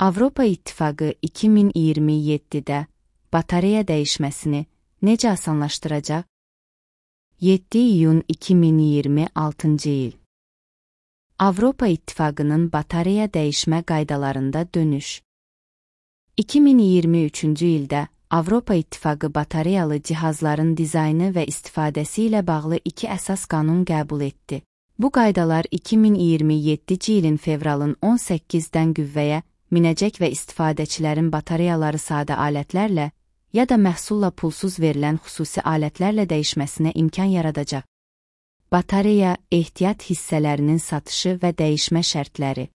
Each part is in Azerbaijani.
Avropa İttifaqı 2027-də batareya dəyişməsini necə asanlaşdıracaq? 7 iyun 2026-cı il. Avropa İttifaqının batareya dəyişmə qaydalarında dönüş. 2023-cü ildə Avropa İttifaqı batareyalı cihazların dizaynı və istifadəsi ilə bağlı 2 əsas qanun qəbul etdi. Bu qaydalar 2027-ci ilin fevralın 18-dən qüvvəyə minəcək və istifadəçilərin batareyaları sadə alətlərlə ya da məhsulla pulsuz verilən xüsusi alətlərlə dəyişməsinə imkan yaradacaq. Batareya ehtiyat hissələrinin satışı və dəyişmə şərtləri.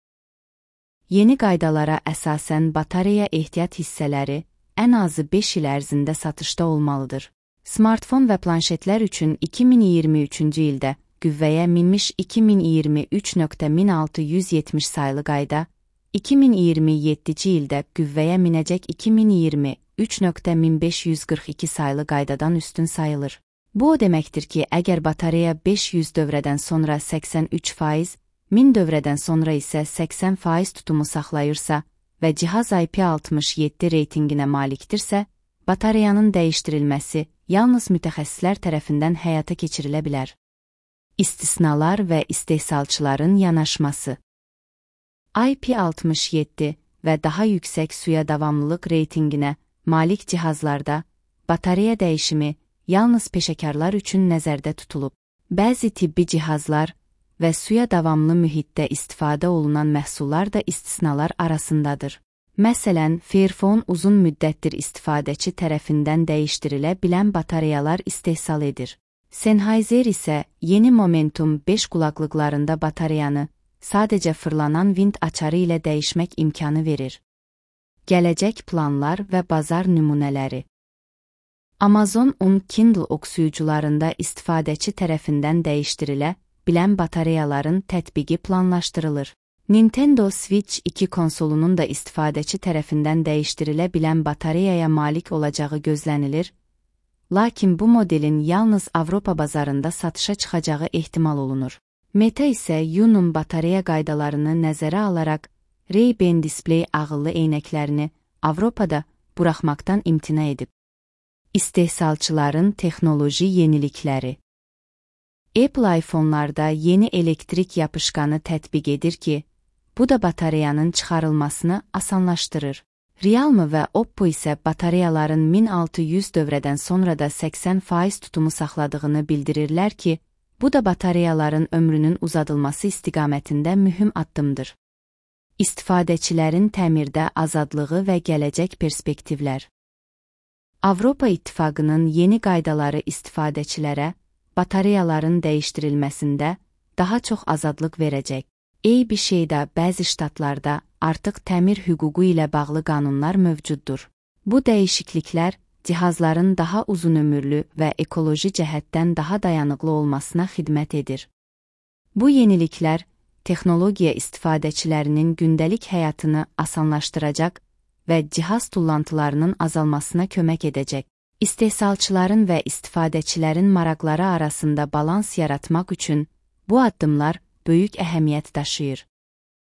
Yeni qaydalara əsasən batareya ehtiyat hissələri ən azı 5 il ərzində satışda olmalıdır. Smartfon və planşetlər üçün 2023-cü ildə qüvvəyə minmiş 2023.1670 sayılı qayda, 2027-ci ildə qüvvəyə minəcək 2023.1542 sayılı qaydadan üstün sayılır. Bu o deməkdir ki, əgər batareya 500 dövrədən sonra 83%, 1000 dövrədən sonra isə 80% tutumu saxlayırsa və cihaz IP67 reytinginə malikdirsə, batareyanın dəyişdirilməsi yalnız mütəxəssislər tərəfindən həyata keçirilə bilər. İstisnalar və istehsalçıların yanaşması. IP67 və daha yüksək suya davamlılıq reytinginə malik cihazlarda batareya dəyişimi yalnız peşəkarlar üçün nəzərdə tutulub. Bəzi tibbi cihazlar və suya davamlı mühitdə istifadə olunan məhsullar da istisnalar arasındadır. Məsələn, Fairphone uzun müddətdir istifadəçi tərəfindən dəyişdirilə bilən batareyalar istehsal edir. Sennheiser isə yeni Momentum 5 qulaqlıqlarında batareyanı sadəcə fırlanan vint açarı ilə dəyişmək imkanı verir. Gələcək planlar və bazar nümunələri. Amazon Kindle oxuyucularında istifadəçi tərəfindən dəyişdirilə bilən batareyaların tətbiqi planlaşdırılır. Nintendo Switch 2 konsolunun da istifadəçi tərəfindən dəyişdirilə bilən batareyaya malik olacağı gözlənilir, lakin bu modelin yalnız Avropa bazarında satışa çıxacağı ehtimal olunur. Meta isə Yunum batareya qaydalarını nəzərə alaraq Ray-Ban Display ağıllı eynəklərini Avropada buraxmaqdan imtina edib. İstehsalçıların texnoloji yenilikləri. Apple iPhone-larda yeni elektrik yapışqanı tətbiq edir ki, bu da batareyanın çıxarılmasını asanlaşdırır. Realme və Oppo isə batareyaların 1600 dövrədən sonra da 80% tutumu saxladığını bildirirlər ki, bu da batareyaların ömrünün uzadılması istiqamətində mühüm addımdır. İstifadəçilərin təmirdə azadlığı və gələcək perspektivlər. Avropa İttifaqının yeni qaydaları istifadəçilərə batareyaların dəyişdirilməsində daha çox azadlıq verəcək. Eyni şeydə bəzi ştatlarda artıq təmir hüququ ilə bağlı qanunlar mövcuddur. Bu dəyişikliklər cihazların daha uzun ömürlü və ekoloji cəhətdən daha dayanıqlı olmasına xidmət edir. Bu yeniliklər texnologiya istifadəçilərinin gündəlik həyatını asanlaşdıracaq və cihaz tullantılarının azalmasına kömək edəcək. İstehsalçıların və istifadəçilərin maraqları arasında balans yaratmaq üçün bu addımlar böyük əhəmiyyət daşıyır.